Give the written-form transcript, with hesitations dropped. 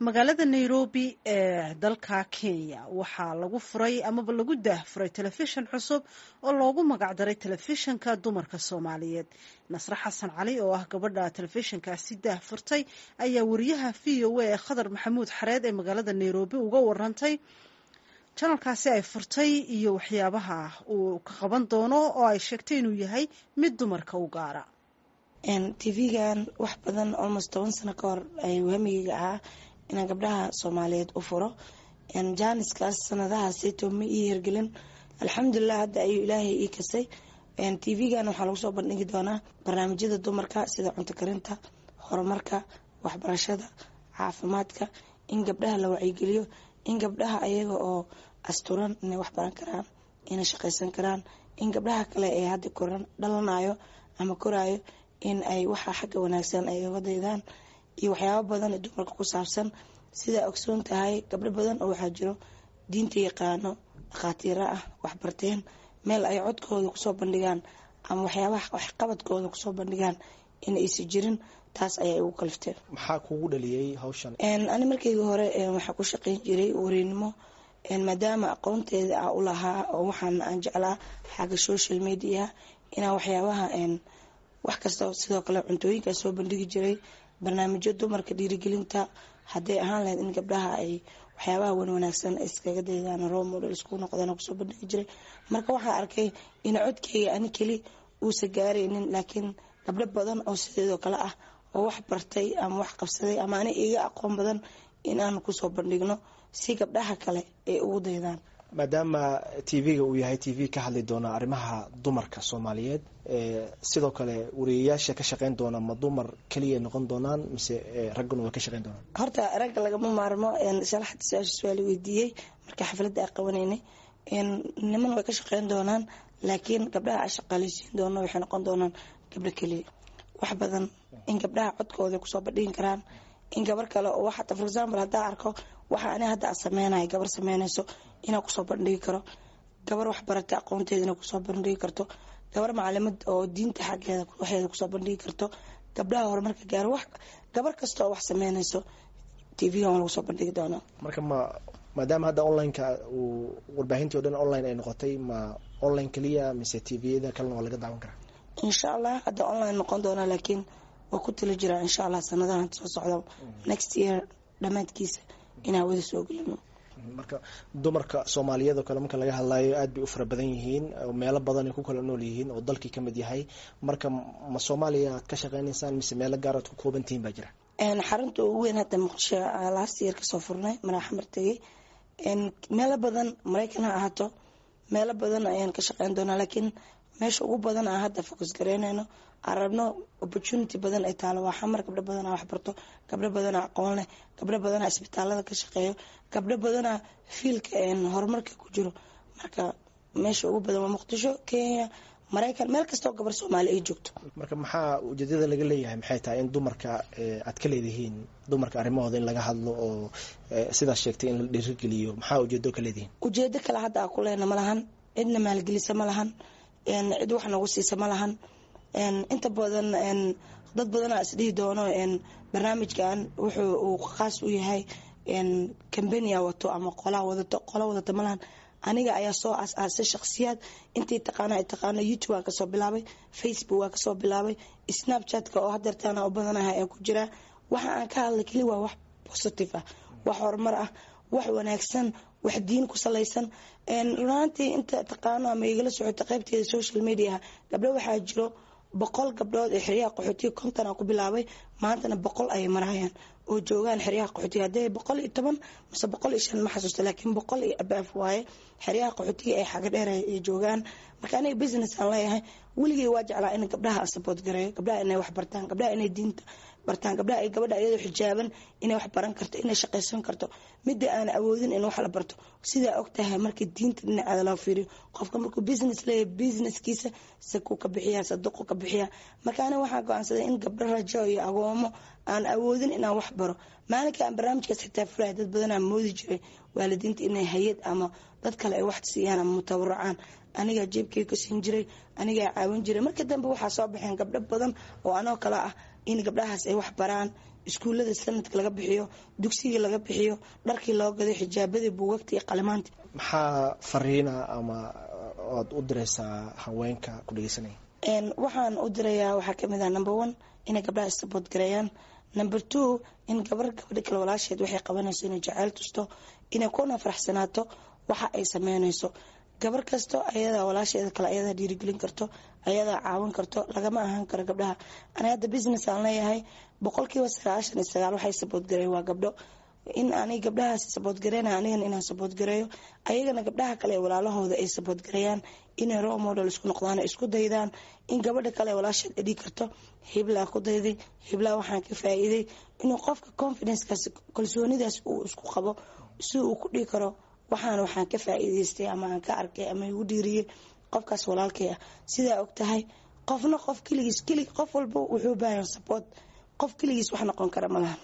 Magaalada Nairobi ee dalka Kenya waxaa lagu furay amaba lagu daahfuray telefishan cusub oo loogu magacdaray Telefishanka Dumarka Soomaaliyeed. Nasre Xasan Cali oo ah gabadha telefishankaasi daahfurtay ayaa wariyaha VOA ee Khadar Maxamuud Xareed ee magaalada Nairobi uga warantay janalkaasi ay furtay iyo waxyaabaha uu ka qaban doono, oo ay sheegtay inuu yahay mid dumarka u gaara. TV-gan wax badan, almost 10 sano ka hor ayuu hamigeyga ahaa inaan gabdhaha Soomaaliyeed u furo. Jaaniskaas sanadahaasito ma ii hirgelin. Alxamdulilah, hadda ayuu Ilaahay ii kasay. TV-gan waxaa lagu soo bandhigi doonaa barnaamijyada dumarka, sida cunto karinta, horumarka, waxbarashada, caafimaadka, in gabdhaha la wacyigeliyo, in gabdhaha ayaga oo asturan inay wax baran karaan, inay shaqaysan karaan, in gabdhaha kale ee hadda koran dhalanayo ama koraayo in ay waxa xagga wanaagsan ay oga daydaan, iyo waxyaabo badan ee dumarka ku saabsan. Sidaa ogsoon tahay, gabdho badan oo waxaa jiro diinta yaqaano, dhakhaatiira ah, waxbarteen, meel ay codkooda kusoo bandhigaan ama waxyaabaha waxqabadkooda kusoo bandhigaan in aysa jirin. Taas ayaa igu kalifteen. Maxaa kugu dhaliyey hawshan? Ani markeyga hore waxaa ku shaqeyn jiray wareynimo, maadaama aqoonteeda a u lahaa oo waxaan aan jeclaa xagga social media inaan waxyaabaha wax kasta, sidoo kale cuntooyinkaa soo bandhigi jiray, barnaamijyo dumarka dhiirigelinta hadday ahaan lahayd, in gabdhaha ay waxyaabaha wan wanaagsan iskaga daydaan, role model isku noqdaan, kusoo bandhigi jiray. Marka waxaa arkay in codkeyga ani keli uusa gaaraynin, laakiin gabdho badan oo sideedoo kale ah oo wax bartay ama wax qabsaday ama ani iga aqoon badan in aan kusoo bandhigno si gabdhaha kale ay ugu daydaan. Maadaama TV-ga uu yahay TV ka hadli doona arrimaha dumarka Soomaaliyeed, sidoo kale wariyayaasha ka shaqeyn doona ma dumar keliya noqon doonaan mise ragguna waa ka shaqeyn doonaan? Horta ragga lagama maarmo. Shalaxda su-aasha su-aal weydiiyey marka xafladda ay qabanaynay, niman way ka shaqeyn doonaan, laakiin gabdhaha a shaqaaleysiin doono waxay noqon doonaan gabdho keliya. Wax badan in gabdhaha codkooda kusoo bandhigin karaan, in gabar kale oo waxata, for example, haddaa arko waxa ani hadda a sameynaya gabar sameynayso inaa kusoo bandhigi karo, gabar wax baratay aqoonteeda inay kusoo bandhigi karto, gabar macalimad oo diinta xaggeeda waxeeda kusoo bandhigi karto, gabdhaha horumarka gaaro, wax gabar kasta oo wax sameynayso TV-gan waa lagu soo bandhigi doonaa. Marka ma maadaama hadda online-ka uu warbaahintii o dhan online ay noqotay, ma online keliya mise TV-yada kalena waa laga daawan karaa? Insha Allah, hadda online noqon doonaa, laakiin waa ku tali jiraa insha Allah sanadahan soo socda, next year dhammaadkiisa, inaan wada soo gelino. Marka dumarka Soomaaliyeed oo kale marka laga hadlayo, aad bay u fara badan yihiin oo meelo badan ay ku kala nool yihiin oo dalkii kamid yahay. Marka ma Soomaaliya aad ka shaqeynaysaan mise meelo gaar aad ku kooban tihiin baa jira? Xarunta ugu weyn hadda Muqdisho last year kasoo furnay, maraaxamar tegay. Meelo badan, Maraykan ha ahaato, meelo badan ayaan ka shaqeyn doonaa, laakiin meesha ugu badan aan hadda focus gareynayno, aan rabno opportunity badan ay taalo, waa Xamar. Gabdho badanaa waxbarto, gabdho badanaa aqoon leh, gabdho badanaa isbitaalada ka shaqeeyo, gabdho badanaa field-ka horumarka ku jiro. Marka meesha ugu badan waa Muqdisho, Kenya, Maraykan, meel kastoo gabar Soomaali ay joogto. Marka maxaa ujeedada laga leeyahay? Maxay tahay in dumarka aad ka leedihiin, dumarka arrimahooda in laga hadlo oo sidaas sheegtay in la dhiirigeliyo? Maxaa ujeedo ka leedihiin? Ujeedo kale hadda aa ku leena ma lahan. Cidna maalgelisa ma lahan, cid wax nagu siisa ma lahan. Inta badan dad badanaa isdhihi doono barnaamijkan wuxuu uu khaas u yahay company-a wato ama qolaa wadato. Qola wadato ma lahan. Aniga ayaa soo aas-aasay shakhsiyaad. Intii taqaana ay taqaano. YouTube waan kasoo bilaabay, Facebook waan kasoo bilaabay, Snapchatka oo hadeertaana u badanahay ayaan ku jiraa. Waxa aan ka hadlay keli waa wax positive ah, wax horumar ah, wax wanaagsan, wax diin ku salaysan. Runaantii inta taqaano ama igala socota qaybteeda social mediaha, gabdho waxaa jiro, 100 gabdhood ee xeryaha qaxootiga, 50 aan ku bilaabay, maantana 100 ayay marayaan oo joogaan xeryaha qaxootiga. Haddee 110 mise 105 ma xasuusta, laakiin 100 iyo above waaye xeryaha qaxootiga ee xaga dheer ay joogaan. Marka aniga business aan leeyahay, weligay waa jeclaa in gabdhaha aan support gareeyo, gabdhaha inay wax bartaan, gabdhaha inay diinta bartaan, gabdhaha ay gabadha iyadoo xijaaban inay wax baran karto, inay shaqaysan karto, midda aan awoodin in wax la barto. Sidaa og tahay, marka diinta dhinaceeda loo fiiriyo, qofka markuu business leeyahay, businesskiisa sakuu ka bixiyaa, sadaqu ka bixiyaa. Marka aniga waxaan go-aansaday in gabdho rajo iyo agoomo aan awoodin inaan wax baro. Maalinka aan barnaamijkaas xitaa fulahay, dad badanaa moodi jiray waalidiinta inay hay-ad ama dad kale ay wax siiyaan ama mutawarucaan. Anigaa jeebkay ka siin jiray, anigaa caawin jiray. Marka dambe waxaa soo baxeen gabdho badan oo anoo kale ah in gabdhahaas ay wax baraan. Iskuullada sanadka laga bixiyo, dugsigii laga bixiyo, dharkii loo gado, xijaabadii, buugagta iyo qalimaanta. Maxaa fariina ama oad u diraysaa haweenka ku dhegeysanaya? Waxaan u dirayaa waxaa kamid ah, number one, inay gabdhaha support gareeyaan. Number two, in gabar gabadha kale walaasheed waxay qabanayso inay jaceyl tusto, inay kuna faraxsanaato waxa ay sameynayso. Gabar kasto ayadaa walaasheeda kale ayadaa dhiirigelin karto, ayadaa caawin karto. Lagama ahaan karo gabdhaha. Ani hadda business aan leeyahay, 99% waxay support gareeyen waa gabdho. In ani gabdhahaas support gareyna, anigana inaan support gareeyo, ayagana gabdhaha kale ee walaalahooda ay support gareeyaan, inay role model isku noqdaan, isku daydaan, in gabadha kale ee walaasheed ay dhigi karto hiblaa ku dayday, hiblaa waxaan ka faa'iiday, inuu qofka confidencekaas, kalsoonidaas uu isku qabo si uu ku dhigi karo waxaan ka faa'iidaystay ama aan ka arkay ama igu dhiiriyey qofkaas walaalkay ah. Sidaa og tahay, qofna qof keligiis keli, qof walba wuxuu baahan support. Qof keligiis wax noqon kara ma lahan.